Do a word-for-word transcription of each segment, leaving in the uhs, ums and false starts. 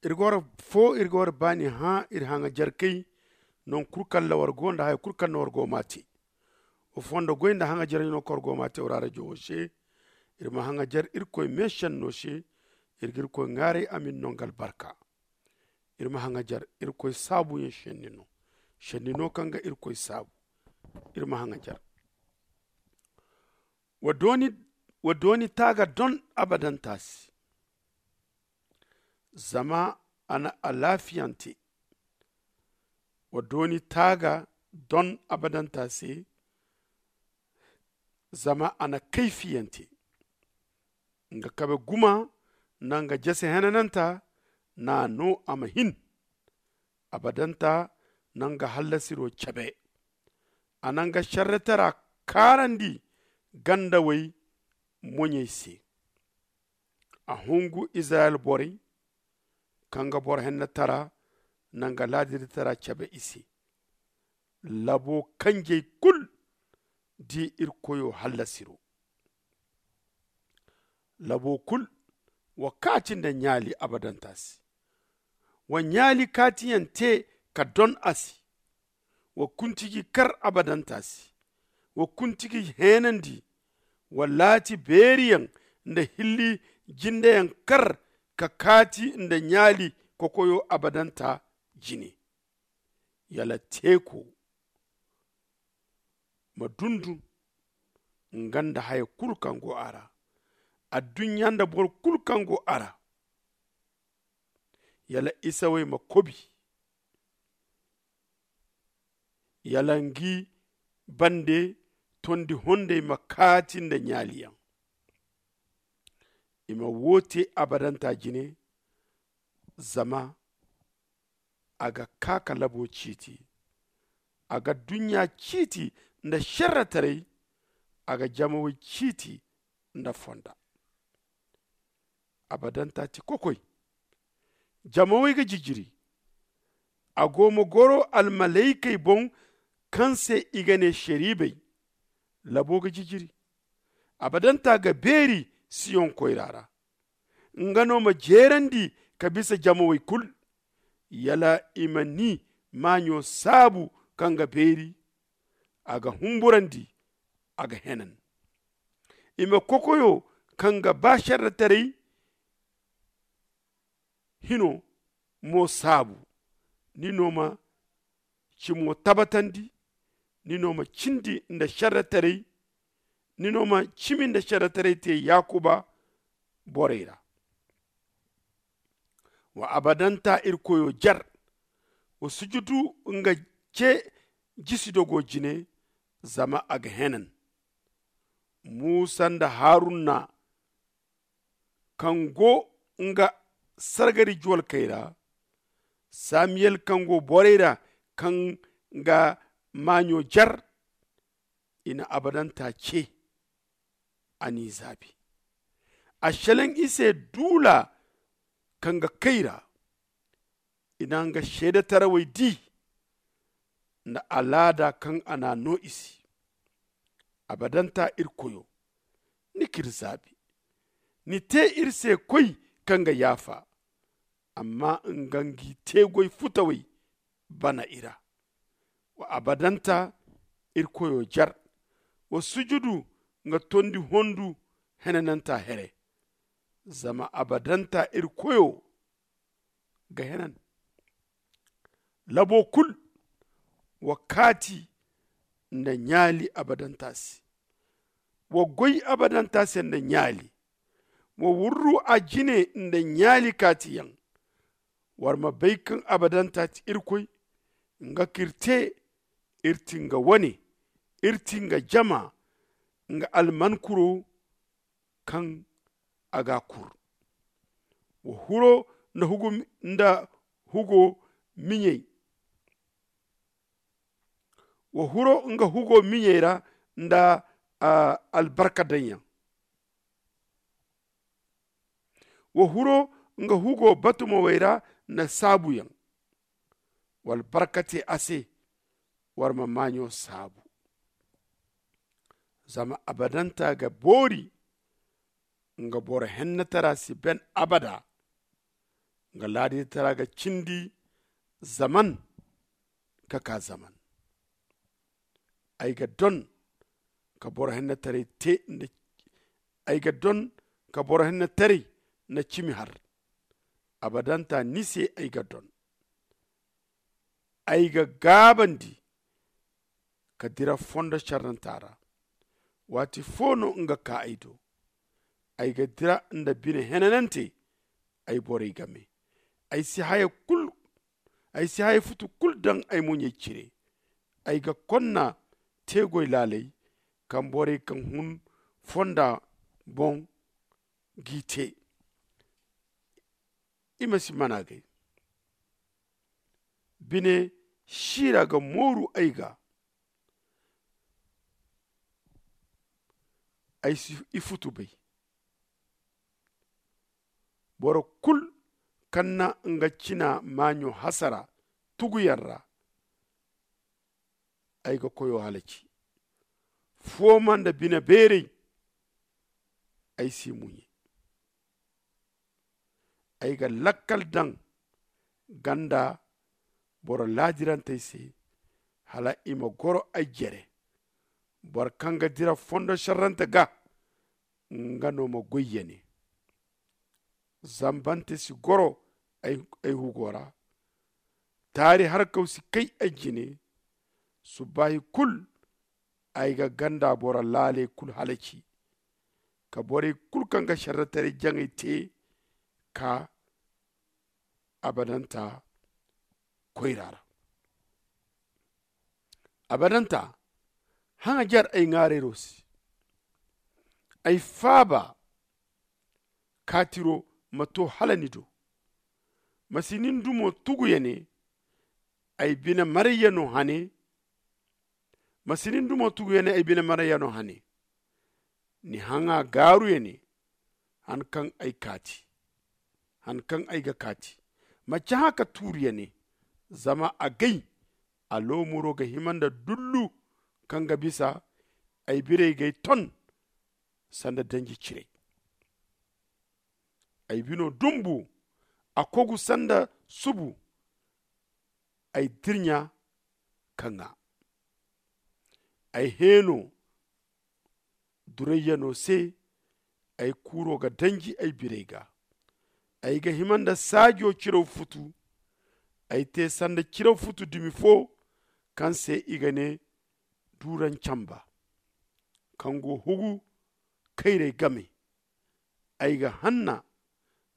Iri ga war foo iri ga war baani hã iri haŋajarkey. Naŋ kul kaŋ ra war go nda haya kul kaŋ ra war go m'a tee. Wa fondo goy nda haŋajarey no kaŋ war go m'a tee war arajo wo se. Iri ma haŋajar irkoy meesenno se. Iri ga irkoy ŋaaray a ma iri no nga albarka. Iri ma haŋajar irkoy saabuyaŋ senni no. Senni no kaŋ ga irkoy saabu. Iri ma haŋajar. Wa dooni taaga don abadanta se. Zama a na alaafiyante. Wa dooni taaga don abadanta se. Zama a na kayfiyante. Nga kabe guma nda nga jese henananta. N'a no a ma hin. Abadanta na nga hallasiro cabe. A na nga šerretara kaarandi gandawey moɲey se. A hungu izirayel borey kaŋ ga boro hennetara nda nga laadirtara cabe i se. Labo kanjey kul di irkoyo hallasiro. Labo kul wa kaati nda ɲaali abadanta se. Wa ɲaali kaatiyaŋ te ka don a se. Wa kuntiji kar abadanta se. Wa kuntiji heenandi. Wa laati beeriyaŋ nda hilli jindeyaŋ kar ka kaati nda ɲaali kokoyo abadanta jine. Yala teeko ma dundun nga nda haya kulu kaŋ go a ra. Adduɲɲa nda boro kulu kaŋ go a ra. Yala isawey ma kobi. Yala ngi bande tondi hondey ma kaati nda ɲaaliyaŋ. I ma woo te abadanta jine. Zama a ga kaa ka labo ciiti. A ga duɲɲa ciiti nda šerretaray. A ga jamawey ciiti nda fonda. Abadanta ti kokoy. Jamawey ga jijiri. A go ma goro almalaykey boŋ kaŋ se i ga ne šeribey. Labo ga jijiri. Abadanta ga beeri siyoŋ koyra ra. Nga no ma jeerandi ka bisa jamawey kul. Yala i ma ni maaɲo saabu kaŋ ga beeri. A ga humburandi. A ga henan. I ma kokoyo kaŋ ga ba šerretaray hino mo saabu. Ni no ma cimo tabatandi. Ni no ma cindi nda šerretaray. Ni no ma cimi nda šerretaray te yakuba borey ra. Wa abadanta irkoyo jer. Wa sujudu nga ce jisi dogo jine. Zama a ga henan. Musa nda haruna kaŋ go nga sargari juwalkey ra. Samiyel kaŋ go borey ra kaŋ ga maaɲo jer. I na abadanta ce. A n'i zaabi. A šelaŋ i se duula kaŋ ga kay ra. I na nga seedetarawey di nda alaada kaŋ a n'a no i se. Abadanta irkoyo, ni k'iri zaabi. Ni te iri se koy kaŋ ga yaafa. Amma nga ngi teegoy futawey bana i ra. Wa abadanta irkoyo jer. Wa sujudu nga tondi hondu henananta here. Zama abadanta irkoyo ga henan. Labo kul wa kaati nda ɲaali abadanta se. Wa goy abadanta se nda ɲaali. Wa wurru a jine nda ɲaali kaatiyaŋ. War ma bay kaŋ abadanta ti irkoy. Nga k'iri te. Iri ti nga wane. Iri ti nga jama. Nga almankuro kaŋ a ga a kur. Wa huro nda hugo miɲey. Wa huro nga hugo miɲey ra nda albarka daŋyaŋ. Wa huro nga hugo batumawey ra nda saabuyaŋ. Wa albarka te a se. War ma maaɲo saabu. Zama abadanta ga boori. Nga boro hennetara si ben abada. Nga laaditara ga cindi zaman ka ka zaman. Ay ga don ka boro hennetaray te nda ay ga don ka boro hennetaray nda cimi har. Abadanta ni se ay ga don. Ay ga gaabandi ka dira fondo carranta ra. Waati fo no nga ka ay do. Ay ga dira nda bine henanante. Ay borey game. Ay si haya kul ay si haya futu kul daŋ ay muɲey cire. Ay ga konna teegoy laaley kaŋ borey kaŋ hun fonda boŋ g'i te. I ma si mana gay. Bine siira ga mooru ay ga. Ay si i futu bay. Boro kul kaŋ na nga cina maaɲo hasara tuguyaŋ ra. Ay ga koyo halaci. Fooma nda bine beeray. Ay si muɲe. Ay ga lakkal daŋ ganda boro laadirantey se. Hala i ma goro ay jere. Boro kaŋ ga dira fondo sarrante ga nga no ma goy ya ne. Zambante si goro ay hugo ra. Taari harkaw si kay ay jine. Subbaahi kul ay ga ganda boro laaley kul halaci. Ka borey kul kaŋ ga sarrataray jaŋay te ka abadanta koyra ra. Abadanta haŋajar ay ŋaarayro se. Ay faaba kaatiro ma to hala ni do. Ma si nin dumo tugu ya ne. Ay bine marayya no hane. Ma si nin dumo tugu ya ne ay bine marayya no hane. Ni haŋa gaaru ya ne. Han kaŋ ay kaati han kaŋ ay ga kaati. Ma cahã ka tuuru ya ne. Zama a gay a loomuro ga hima nda dullu kaŋ ga bisa. Ay birey g'ay ton sanda danji ciray. Ay bino dumbu a kogu sanda subu. Ay dirɲa ka ŋaa. Ay heeno durayyano se. Ay kuuro ga danji ay birey ga. Ay ga hima nda saajo ciraw futu. Ay te sanda ciraw futu dumi fo kaŋ se i ga ne duurancamba kaŋ go hugu kayray game. Ay ga hanna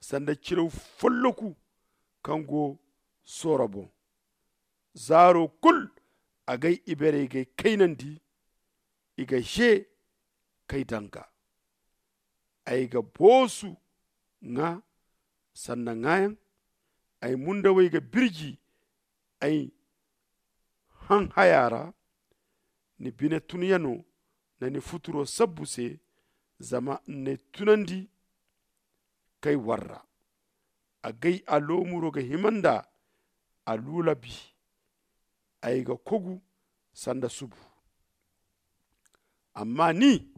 sanda ciraw folloku kaŋ go sooro boŋ. Zaaro kul a gay iberey g'ay kaynandi. I ga ze k'ay danga. Ay ga boosu ŋa sanda ŋaayaŋ. Ay mundawey ga birji ay haŋ haya ra. Ni bine tunyano nda ni futuro sabbu se. Zama n'ay tunandi k'ay warra. A gay a loomuro ga hima nda a luulabi. Ay ga kogu sanda subu. Amma ni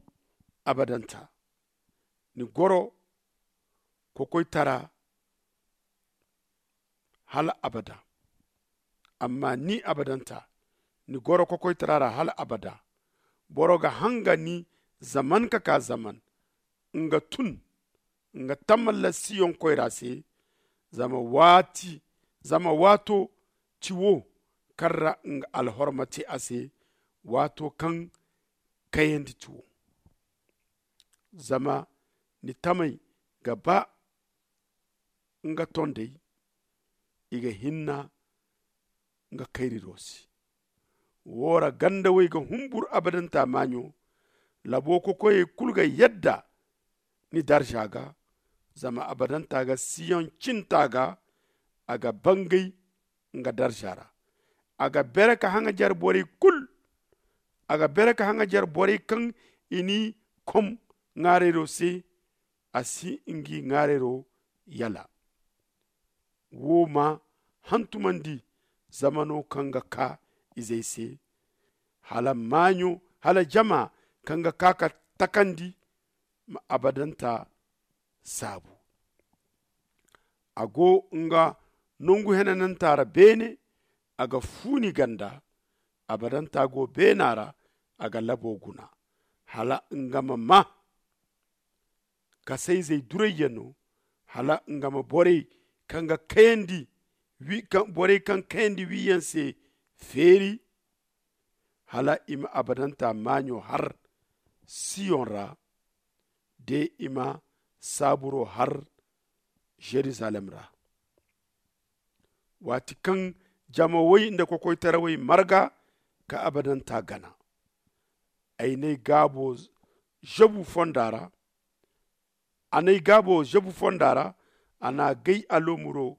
abadanta ni goro kokoytara hala abada. Amma ni abadanta ni goro kokoytara ra hala abada. Boro ga hanga ni zaman ka ka zaman. Nga tun nga tamalla siyoŋ koyra se. Zama waato ti wo kaŋ ra nga alhorma te a se. Waato kaŋ kayandi ti wo. Zama ni tamey ga ba nga tondey. I ga hinna nga kayriro se. Wo ra gandawey ga humbur abadanta maaɲo. Labo kokoyey kul ga yadda ni darza ga. Zama abadanta ga siyoŋ cinta ga. A ga bangay nga darza ra. A ga bere ka haŋajar borey kul. A ga bere ka haŋajar borey kaŋ i n'i kom ŋaarayro se. A si ngi ŋaarayro yala. Wo ma hantumandi zamano kaŋ ga ka izey se hala maaɲo hala jama kaŋ ga ka ka takandi ma abadanta saabu. A go nga nongu henananta ra beene. A ga fuuni ganda. Abadanta go beena ra. A ga labo guna hala nga ma ma kasayzey durayyaŋo, hala nga ma borey kaŋ ga kayandi borey kaŋ kayandi wiiyaŋ se feeri. Hala i ma abadanta maaɲo har siyoŋ ra, de i ma saaburo har yeruzalem ra. Waati kaŋ jamawey nda kokoytarawey marga ka abadanta gana, ay n'ay gaabo zabu fonda ra. A n'ay gaabo zabu fonda ra. A n'a gay aloomuro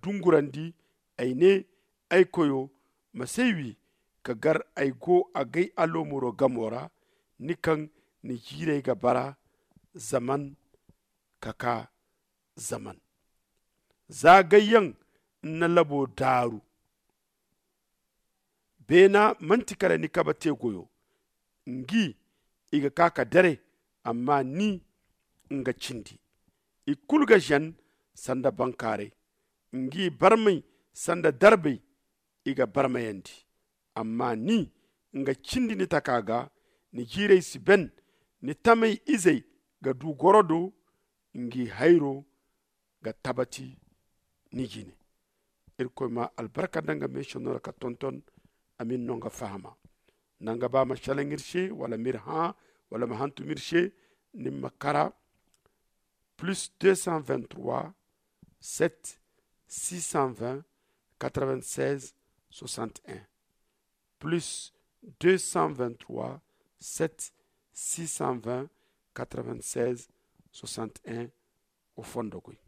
dungurandi. Ay ne, ay koyo, ma s'ay wi ka gar ay go a gay aloomuro gamo ra, ni kaŋ ni jiirey ga bara zaman ka kaa zaman. Za gayyaŋ ni na labo daaru. Beena manti kala ni kabe te goyo. Ngi i ga kaa ka dare. Amma ni nga cindi i kulu ga zen sanda bankaaray. Ngi barmay sanda darbay i ga barmayandi. Amma ni nga cindi ni taka ga. Ni jiirey si ben. Ni tamey izey ga du goro do. Ngi hayro ga tabati ni jine. Irkoy ma albarka nda nga meeso no ra ka tonton. Amin no nga fahama nda nga ba ma salaŋ iri se wala m'iri hã wala ma hantum iri se. Ni ma kara plus deux cent vingt-trois sept six cent vingt quatre-vingt-seize soixante-et-un. Plus deux cent vingt-trois sept six cent vingt quatre-vingt-seize soixante-et-un. O fondo koy.